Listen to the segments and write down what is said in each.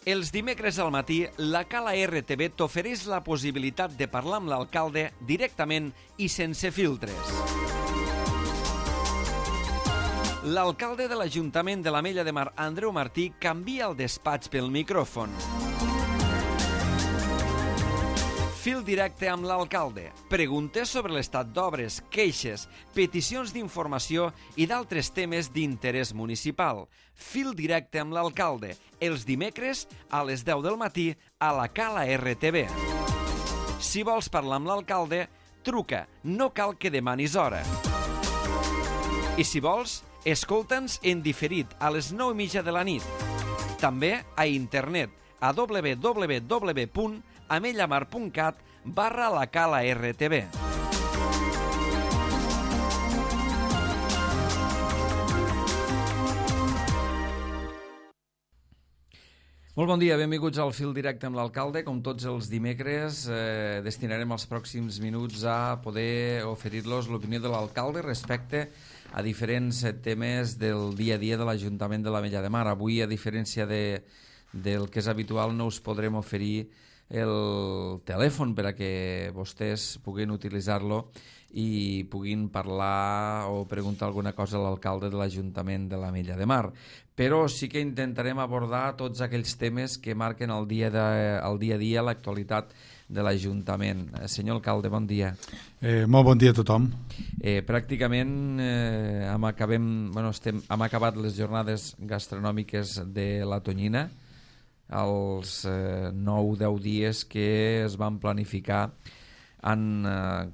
Els dimecres al matí, la Cala RTV t'ofereix la possibilitat de parlar amb l'alcalde directament i sense filtres. L'alcalde de l'Ajuntament de l'Ametlla de Mar, Andreu Martí, canvia el despatx pel micròfon. Fil directe amb l'alcalde. Preguntes sobre l'estat d'obres, queixes, peticions d'informació i d'altres temes d'interès municipal. Fil directe amb l'alcalde. Els dimecres a les 10 del matí a la Cala RTV. Si vols parlar amb l'alcalde, truca. No cal que demanis hora. I si vols, escolta'ns en diferit a les 9:30 de la nit. També a internet a www.amellamar.cat/la Cala RTV. Molt bon dia, benvinguts al Fil Directe amb l'alcalde. Com tots els dimecres, destinarem els pròxims minuts a poder oferir-los l'opinió de l'alcalde respecte a diferents temes del dia a dia de l'Ajuntament de l'Ametlla de Mar. Avui, a diferència del que és habitual, no us podrem oferir el telèfon per a que vostès puguin utilitzar-lo i puguin parlar o preguntar alguna cosa a l'alcalde de l'Ajuntament de l'Ametlla de Mar. Però sí que intentarem abordar tots aquells temes que marquen el dia a dia, l'actualitat de l'Ajuntament. Senyor alcalde, bon dia. Molt bon dia a tothom. Pràcticament hem acabat les jornades gastronòmiques de la Tonyina, els 9-10 dies que es van planificar en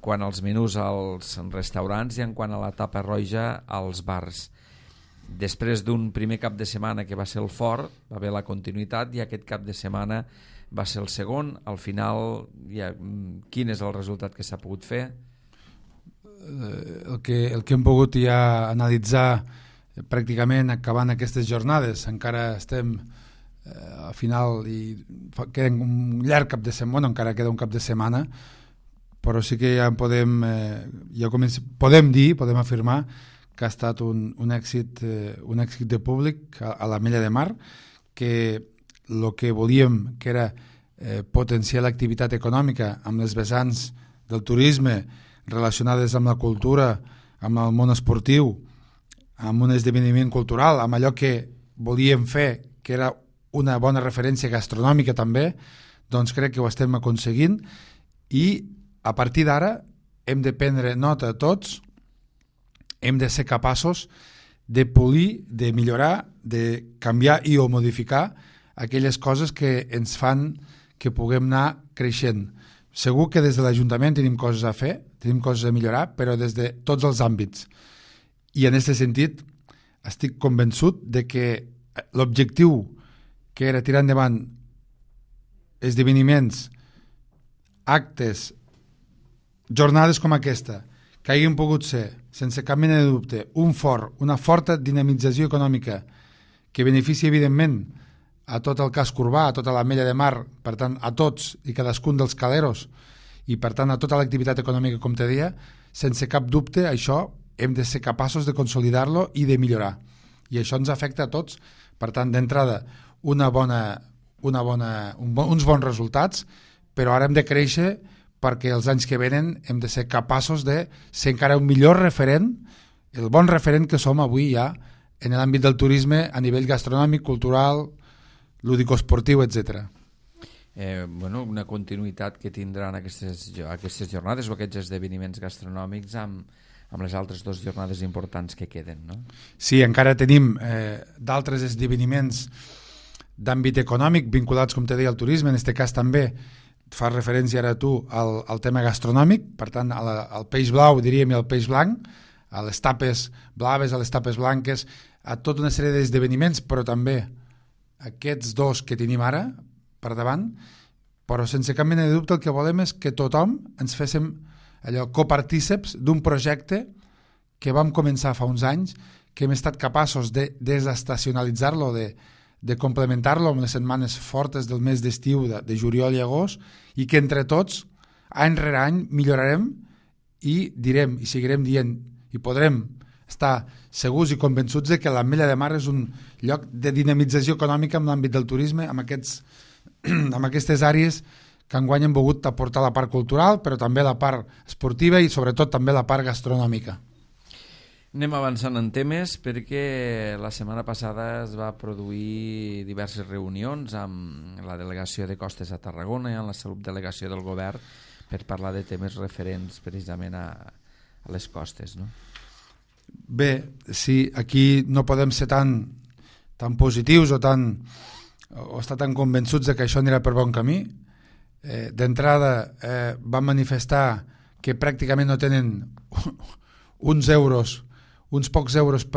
quant als menús als restaurants i en quant a la tapa roja als bars. Després d'un primer cap de setmana que va ser el fort, va haver la continuïtat i aquest cap de setmana va ser el segon. Al final, quin és el resultat que s'ha pogut fer? El que hem pogut ja analitzar pràcticament acabant aquestes jornades, encara estem al final i queda un llarg cap de setmana, encara queda un cap de setmana, però sí que ja podem afirmar que ha estat un èxit de públic a l'Ametlla de Mar, que el que volíem, que era potenciar l'activitat econòmica amb les vessants del turisme relacionades amb la cultura, amb el món esportiu, amb un esdeveniment cultural, amb allò que volíem fer, que era una bona referència gastronòmica també, doncs crec que ho estem aconseguint i a partir d'ara hem de prendre nota tots, hem de ser capaços de polir, de millorar, de canviar i o modificar aquelles coses que ens fan que puguem anar creixent. Segur que des de l'Ajuntament tenim coses a fer, tenim coses a millorar, però des de tots els àmbits. I en aquest sentit estic convençut de que l'objectiu que era tirar endavant esdeveniments, actes, jornades com aquesta, que hagin pogut ser, sense cap mena de dubte, una forta dinamització econòmica que beneficia, evidentment, a tot el casc urbà, a tota l'Ametlla de Mar, per tant, a tots i cadascun dels caleros, i per tant, a tota l'activitat econòmica, com te deia, sense cap dubte, això hem de ser capaços de consolidar-lo i de millorar. I això ens afecta a tots. Per tant, d'entrada, uns bons resultats, però ara hem de créixer perquè els anys que venen hem de ser capaços de ser encara un millor referent, el bon referent que som avui ja en l'àmbit del turisme a nivell gastronòmic, cultural, lúdico-esportiu, etc. Una continuïtat que tindran aquestes jornades o aquests esdeveniments gastronòmics amb les altres dues jornades importants que queden, no? Sí, encara tenim d'altres esdeveniments d'àmbit econòmic vinculats, com te deia, al turisme. En aquest cas també fa referència ara tu al tema gastronòmic, per tant al peix blau, diríem, i al peix blanc, a les tapes blaves, a les tapes blanques, a tota una sèrie d'esdeveniments, però també aquests dos que tenim ara per davant, però sense cap mena de dubte el que volem és que tothom ens féssim allò copartíceps d'un projecte que vam començar fa uns anys, que hem estat capaços de desestacionalitzar-lo, de complementar-lo amb les setmanes fortes del mes d'estiu de juliol i agost, i que entre tots, any rere any, millorarem i direm i seguirem dient i podrem estar segurs i convençuts de que l'Ametlla de Mar és un lloc de dinamització econòmica en l'àmbit del turisme, amb aquestes àrees que enguany hem volgut aportar la part cultural, però també la part esportiva i sobretot també la part gastronòmica. Anem avançant en temes perquè la setmana passada es va produir diverses reunions amb la delegació de Costes a Tarragona i amb la subdelegació del govern per parlar de temes referents precisament a les costes, no? Bé, sí, aquí no podem ser tan positius o estar tan convençuts de que això anirà per bon camí. D'entrada van manifestar que pràcticament no tenen uns pocs euros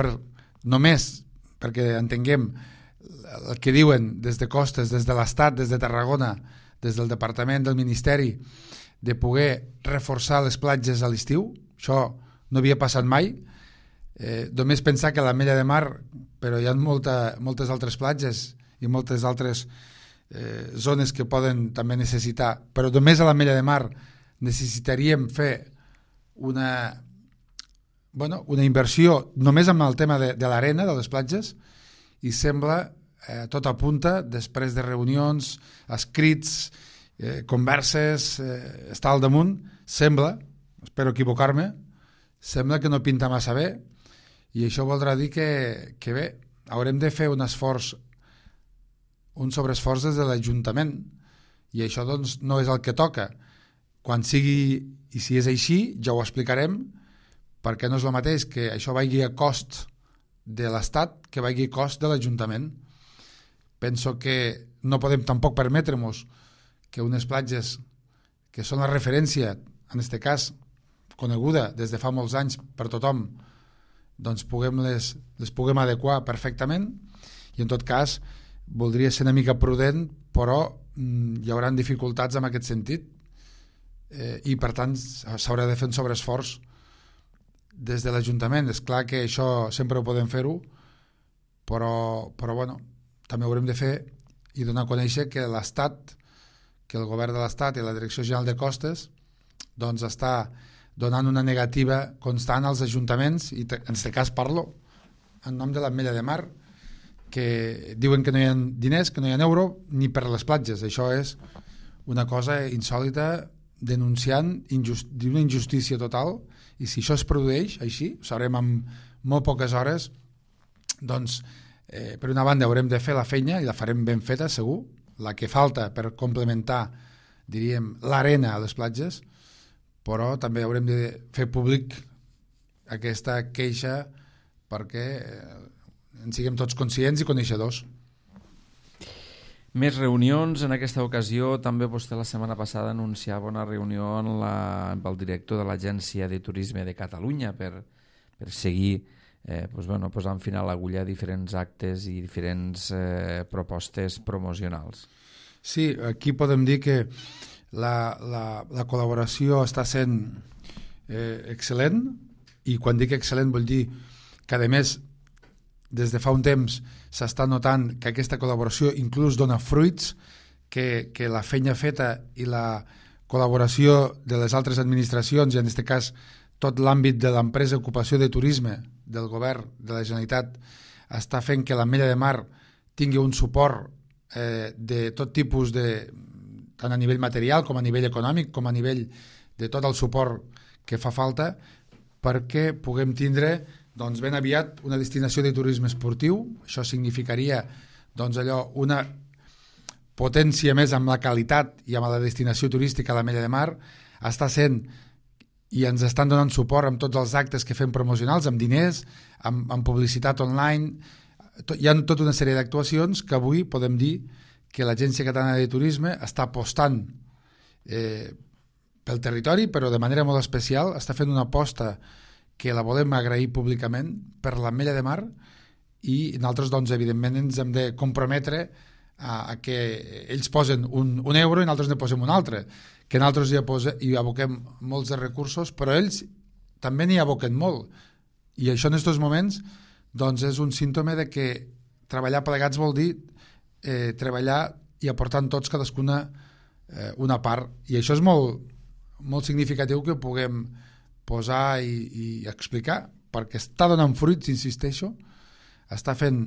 només perquè entenguem el que diuen des de Costes, des de l'Estat, des de Tarragona, des del Departament del Ministeri, de poder reforçar les platges a l'estiu. Això no havia passat mai. Només pensar que a l'Ametlla de Mar, però hi ha moltes altres platges i moltes altres zones que poden també necessitar, però només a l'Ametlla de Mar necessitaríem fer una inversió només amb el tema de l'arena, de les platges, i sembla, tot apunta, després de reunions, escrits, converses, estar al damunt, sembla, espero equivocar-me, sembla que no pinta massa bé, i això voldrà dir que bé, haurem de fer un sobreesforç des de l'Ajuntament, i això doncs no és el que toca. Quan sigui, i si és així, ja ho explicarem, perquè no és el mateix que això vagi a cost de l'Estat que vagi a cost de l'Ajuntament. Penso que no podem tampoc permetre-nos que unes platges que són la referència, en aquest cas coneguda des de fa molts anys per tothom, doncs les puguem adequar perfectament, i en tot cas voldria ser una mica prudent, però hi haurà dificultats en aquest sentit, i per tant s'haurà de fer un sobreesforç des de l'Ajuntament. És clar que això sempre ho podem fer-ho, però bueno, també haurem de fer i donar a conèixer que l'Estat, que el govern de l'Estat i la Direcció General de Costes doncs està donant una negativa constant als ajuntaments, i en aquest cas parlo en nom de l'Ametlla de Mar, que diuen que no hi ha diners, que no hi ha euro ni per les platges. Això és una cosa insòlita, denunciant d'una injustícia total, i si això es produeix així, ho sabrem en molt poques hores. Doncs per una banda haurem de fer la feina, i la farem ben feta segur, la que falta per complementar, diríem, l'arena a les platges, però també haurem de fer públic aquesta queixa perquè en siguem tots conscients i coneixedors. Més reunions. En aquesta ocasió també vostè la setmana passada anunciava una reunió amb el director de l'Agència de Turisme de Catalunya per seguir posant final a l'agulla a diferents actes i diferents propostes promocionals. Sí, aquí podem dir que la col·laboració està sent excel·lent, i quan dic excel·lent vull dir que a més des de fa un temps s'està notant que aquesta col·laboració inclús dona fruits, que la feina feta i la col·laboració de les altres administracions, i en aquest cas tot l'àmbit de l'empresa Ocupació de Turisme del govern de la Generalitat, està fent que l'Ametlla de Mar tingui un suport de tot tipus, tant a nivell material com a nivell econòmic, com a nivell de tot el suport que fa falta perquè puguem tindre doncs ben aviat una destinació de turisme esportiu. Això significaria una potència més amb la qualitat i amb la destinació turística a l'Ametlla de Mar. Està sent, i ens estan donant suport amb tots els actes que fem promocionals, amb diners, amb publicitat online. Hi ha tota una sèrie d'actuacions que avui podem dir que l'Agència Catalana de Turisme està apostant pel territori, però de manera molt especial està fent una aposta que la volem agrair públicament per l'Ametlla de Mar, i nosaltres doncs evidentment ens hem de comprometre a que ells posen un euro i nosaltres ne posem un altre, que nosaltres hi aboquem molts de recursos, però ells també n'hi aboquen molt, i això en aquests moments doncs és un símptoma de que treballar plegats vol dir treballar i aportant tots cadascuna una part, i això és molt, molt significatiu que ho puguem posar i explicar, perquè està donant fruits, insisteixo, està fent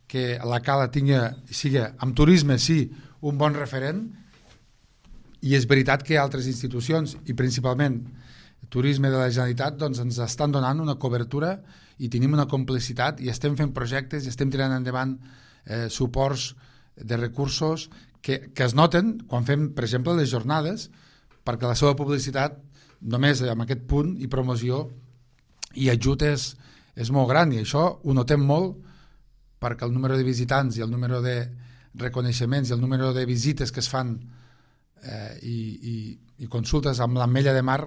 que la Cala sigui, amb turisme sí, un bon referent, i és veritat que altres institucions, i principalment turisme de la Generalitat, doncs ens estan donant una cobertura i tenim una complicitat i estem fent projectes i estem tirant endavant suports de recursos que es noten quan fem, per exemple, les jornades, perquè la seva publicitat només amb aquest punt i promoció i ajut és molt gran, i això ho notem molt perquè el número de visitants i el número de reconeixements i el número de visites que es fan i consultes amb l'Ametlla de Mar,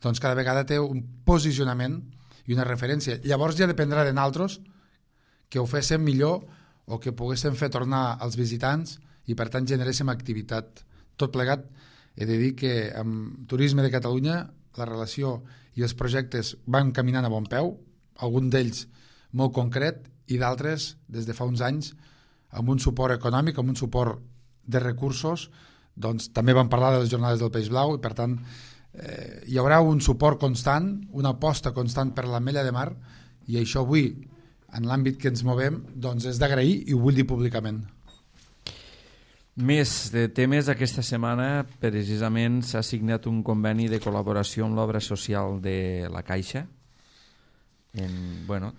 doncs cada vegada té un posicionament i una referència. Llavors ja dependrà de nosaltres que ho féssim millor o que poguéssim fer tornar als visitants i per tant generéssim activitat. Tot plegat, he de dir que amb Turisme de Catalunya la relació i els projectes van caminant a bon peu, algun d'ells molt concret i d'altres des de fa uns anys amb un suport econòmic, amb un suport de recursos. Doncs també vam parlar de les jornades del Peix Blau i per tant hi haurà un suport constant, una aposta constant per l'Ametlla de Mar, i això avui en l'àmbit que ens movem doncs és d'agrair i ho vull dir públicament. Més de temes, aquesta setmana precisament s'ha signat un conveni de col·laboració amb l'obra social de la Caixa.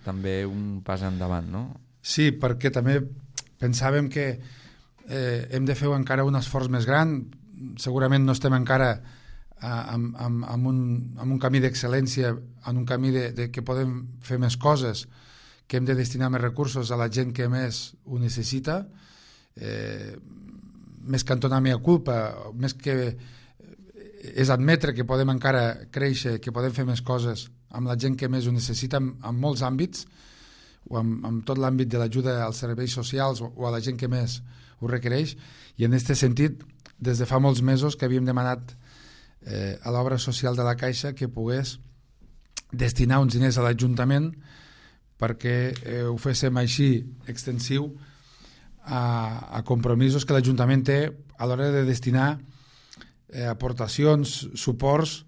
També un pas endavant, no? Sí, perquè també pensàvem que hem de fer encara un esforç més gran. Segurament no estem encara amb un camí d'excel·lència, en un camí de que podem fer més coses, que hem de destinar més recursos a la gent que més ho necessita, més que entonar mea culpa, més que és admetre que podem encara créixer, que podem fer més coses amb la gent que més ho necessita en molts àmbits, o amb tot l'àmbit de l'ajuda als serveis socials o a la gent que més ho requereix, i en aquest sentit des de fa molts mesos que havíem demanat a l'obra social de la Caixa que pogués destinar uns diners a l'Ajuntament perquè ho féssim així extensiu a compromisos que l'Ajuntament té a l'hora de destinar aportacions, suports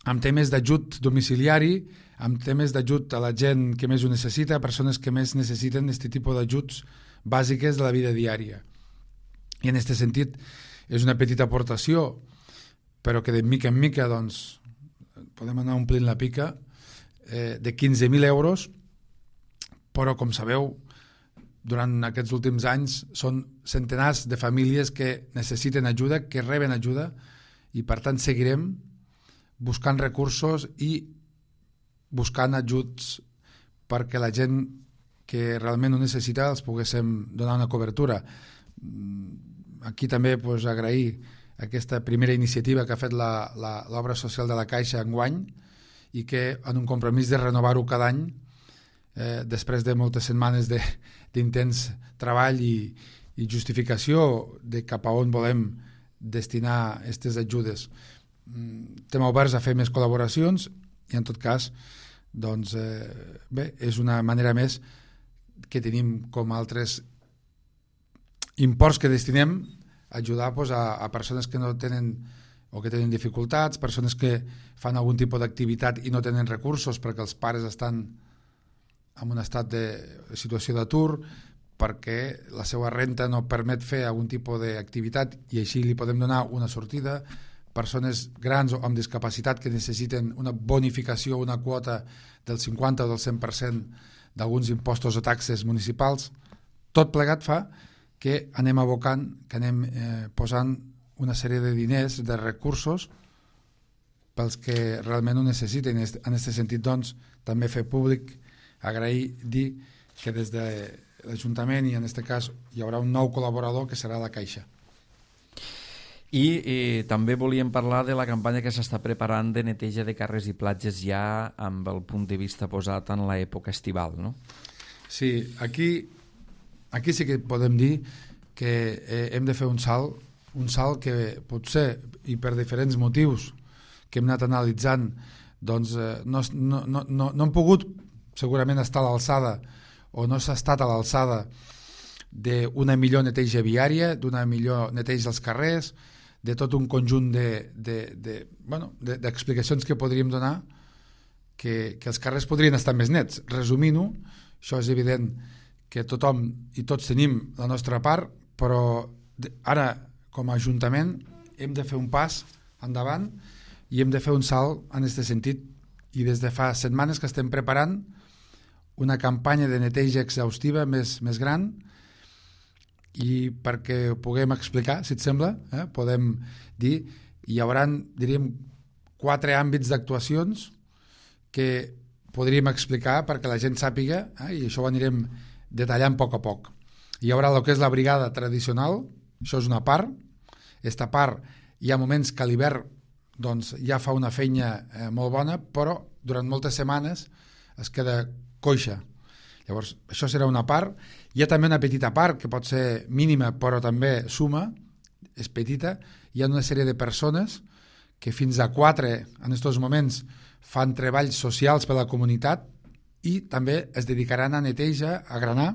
amb temes d'ajut domiciliari, amb temes d'ajut a la gent que més ho necessita, a persones que més necessiten aquest tipus d'ajuts bàsiques de la vida diària. I en aquest sentit és una petita aportació, però que de mica en mica doncs, podem anar omplint la pica, de 15.000 euros, però com sabeu, durant aquests últims anys són centenars de famílies que necessiten ajuda, que reben ajuda, i per tant seguirem buscant recursos i buscant ajuts perquè la gent que realment ho necessita els poguéssim donar una cobertura. Aquí també agrair aquesta primera iniciativa que ha fet l'obra social de la Caixa enguany i que en un compromís de renovar-ho cada any després de moltes setmanes d'intens treball i justificació de cap a on volem destinar aquestes ajudes. Estem oberts a fer més col·laboracions i en tot cas doncs, és una manera més que tenim com altres imports que destinem a ajudar a persones que no tenen o que tenen dificultats, persones que fan algun tipus d'activitat i no tenen recursos perquè els pares estan en un estat de situació d'atur, perquè la seva renta no permet fer algun tipus d'activitat i així li podem donar una sortida, persones grans o amb discapacitat que necessiten una bonificació, una quota del 50 o del 100% d'alguns impostos o taxes municipals. Tot plegat fa que anem abocant, que anem posant una sèrie de diners, de recursos pels que realment ho necessiten. En aquest sentit, doncs, també fer públic, agrair, dir que des de l'Ajuntament i en aquest cas hi haurà un nou col·laborador que serà la Caixa. I també volíem parlar de la campanya que s'està preparant de neteja de carrers i platges ja amb el punt de vista posat en l'època estival, no? Sí, aquí sí que podem dir que hem de fer un salt que potser, i per diferents motius que hem anat analitzant, doncs no hem pogut segurament estar a l'alçada o no s'ha estat a l'alçada d'una millor neteja viària, d'una millor neteja dels carrers, de tot un conjunt d'explicacions que podríem donar que els carrers podrien estar més nets. Resumint-ho, això és evident que tothom i tots tenim la nostra part, però ara, com a Ajuntament, hem de fer un pas endavant i hem de fer un salt en aquest sentit. I des de fa setmanes que estem preparant una campanya de neteja exhaustiva més gran, i perquè ho puguem explicar, si et sembla, podem dir, hi haurà, diríem, 4 àmbits d'actuacions que podríem explicar perquè la gent sàpiga, i això ho anirem detallant a poc. Hi haurà el que és la brigada tradicional, això és una part. Aquesta part hi ha moments que a l'hivern doncs, ja fa una feina molt bona, però durant moltes setmanes es queda coixa. Llavors, això serà una part. Hi ha també una petita part, que pot ser mínima, però també suma, és petita. Hi ha una sèrie de persones que fins a 4 en aquests moments fan treballs socials per a la comunitat i també es dedicaran a neteja, a granar,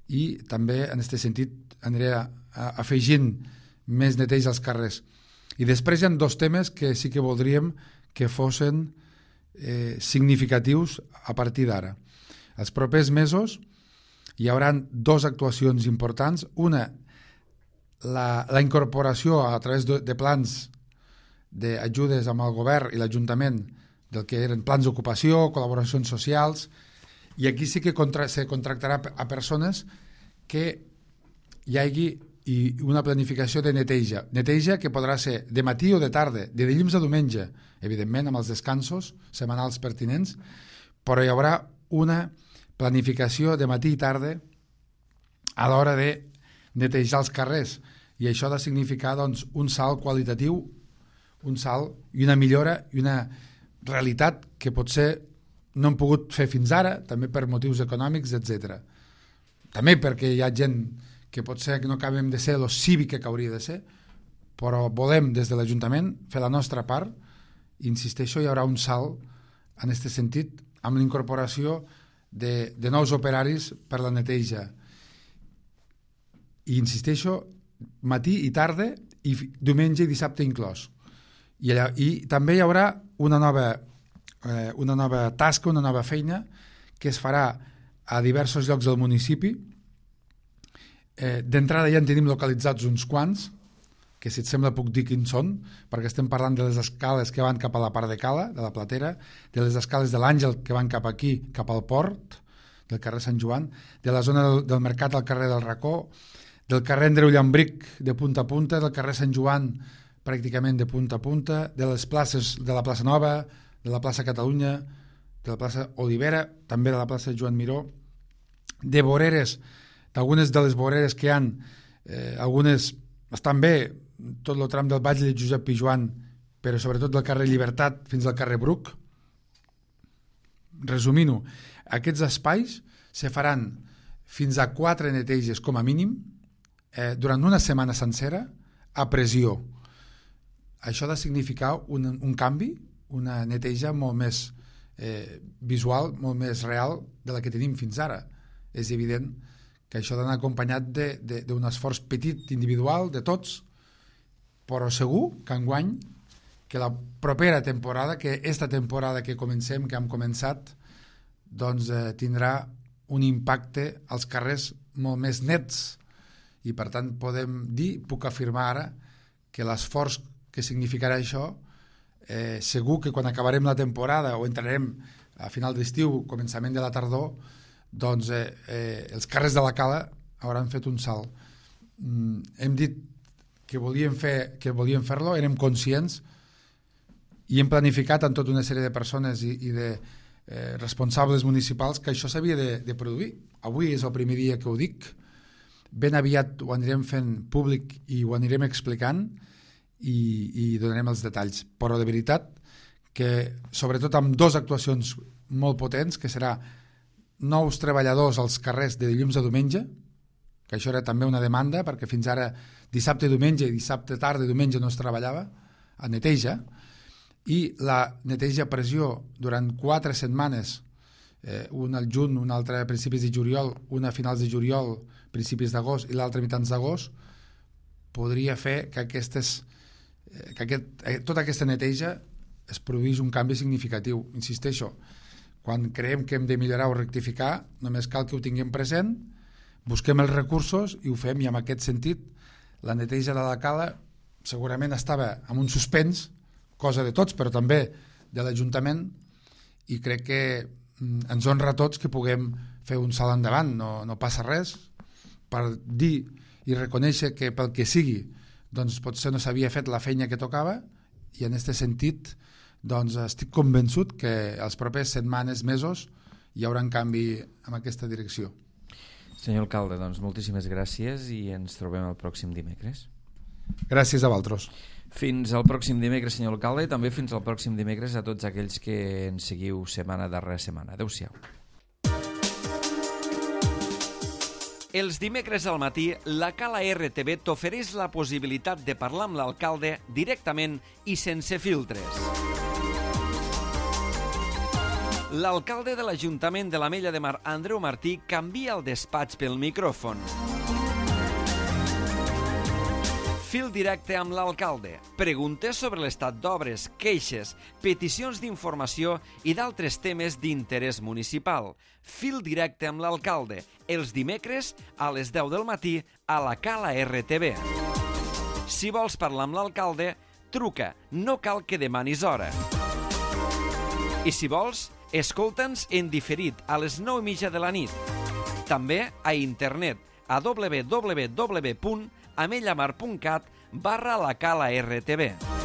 i també en aquest sentit aniré afegint més neteja als carrers. I després hi ha 2 temes que sí que voldríem que fossin significatius a partir d'ara. Els propers mesos hi haurà 2 actuacions importants. Una, la incorporació a través de plans d'ajudes amb el govern i l'Ajuntament del que eren plans d'ocupació, col·laboracions socials, i aquí sí que se contractarà a persones que hi hagi una planificació de neteja que podrà ser de matí o de tarda, de dilluns a diumenge, evidentment amb els descansos setmanals pertinents, però hi haurà una planificació de matí i tarda a l'hora de netejar els carrers, i això ha de significar doncs, un salt qualitatiu, un salt i una millora i una realitat que potser no hem pogut fer fins ara, també per motius econòmics, etc. També perquè hi ha gent que potser no acabem de ser el cívic que hauria de ser, però volem des de l'Ajuntament fer la nostra part, i insisteixo, hi haurà un salt en aquest sentit amb la incorporació de nous operaris per la neteja. I insisteixo, matí i tarda, i diumenge i dissabte inclòs. I també hi haurà una nova tasca, una nova feina que es farà a diversos llocs del municipi. D'entrada ja en tenim localitzats uns quants, que si et sembla puc dir quins són, perquè estem parlant de les escales que van cap a la part de Cala, de la Platera, de les escales de l'Àngel que van cap aquí, cap al port, del carrer Sant Joan, de la zona del Mercat al carrer del Racó, del carrer Andreu Llambric de punta a punta, del carrer Sant Joan pràcticament de punta a punta, de les places de la plaça Nova, de la plaça Catalunya, de la plaça Olivera, també de la plaça Joan Miró, de voreres, d'algunes de les voreres que hi ha, algunes estan bé, tot el tram del Batlle de Josep Pijoan, però sobretot del carrer Llibertat fins al carrer Bruc. Resumint-ho, aquests espais se faran fins a 4 neteges com a mínim durant una setmana sencera a pressió. Això ha de significar un canvi, una neteja molt més visual, molt més real de la que tenim fins ara. És evident que això ha d'anar acompanyat d'un esforç petit individual de tots, però segur que enguany, que la propera temporada, que esta temporada que comencem, que hem començat, doncs tindrà un impacte als carrers molt més nets, i per tant podem dir, puc afirmar ara, que l'esforç que significarà això, segur que quan acabarem la temporada o entrarem a final d'estiu, començament de la tardor, doncs els carrers de la Cala hauran fet un salt. Hem dit que volíem fer-lo, érem conscients i hem planificat amb tota una sèrie de persones i de responsables municipals que això s'havia de produir. Avui és el primer dia que ho dic, ben aviat ho anirem fent públic i ho anirem explicant i donarem els detalls, però de veritat que sobretot amb 2 actuacions molt potents, que serà nous treballadors als carrers de dilluns a diumenge, que això era també una demanda, perquè fins ara dissabte i diumenge, i dissabte tarda i diumenge no es treballava, a neteja, i la neteja a pressió durant 4 setmanes, una al juny, una altra a principis de juliol, una a finals de juliol, principis d'agost i l'altra a mitjans d'agost, podria fer que tota aquesta neteja es produeix un canvi significatiu. Insisteixo, quan creiem que hem de millorar o rectificar, només cal que ho tinguem present, busquem els recursos i ho fem, i en aquest sentit la neteja de la cala segurament estava en un suspens, cosa de tots, però també de l'Ajuntament, i crec que ens honra a tots que puguem fer un salt endavant. No passa res per dir i reconèixer que pel que sigui doncs potser no s'havia fet la feina que tocava, i en aquest sentit doncs estic convençut que els propers setmanes, mesos, hi haurà un canvi en aquesta direcció. Senyor alcalde, doncs moltíssimes gràcies i ens trobem el pròxim dimecres. Gràcies a vosaltres. Fins al pròxim dimecres, senyor alcalde, i també fins al pròxim dimecres a tots aquells que ens seguiu setmana darrere setmana. Adéu-siau. Els dimecres al matí, la Cala RTV t'ofereix la possibilitat de parlar amb l'alcalde directament i sense filtres. L'alcalde de l'Ajuntament de l'Ametlla de Mar, Andreu Martí, canvia el despatx pel micròfon. Fil directe amb l'alcalde. Preguntes sobre l'estat d'obres, queixes, peticions d'informació i d'altres temes d'interès municipal. Fil directe amb l'alcalde. Els dimecres a les 10 del matí a la Cala RTV. Si vols parlar amb l'alcalde, truca. No cal que demanis hora. I si vols, escolta'ns en diferit a les 9:30 de la nit. També a internet a www.amellamar.cat/la Cala RTV.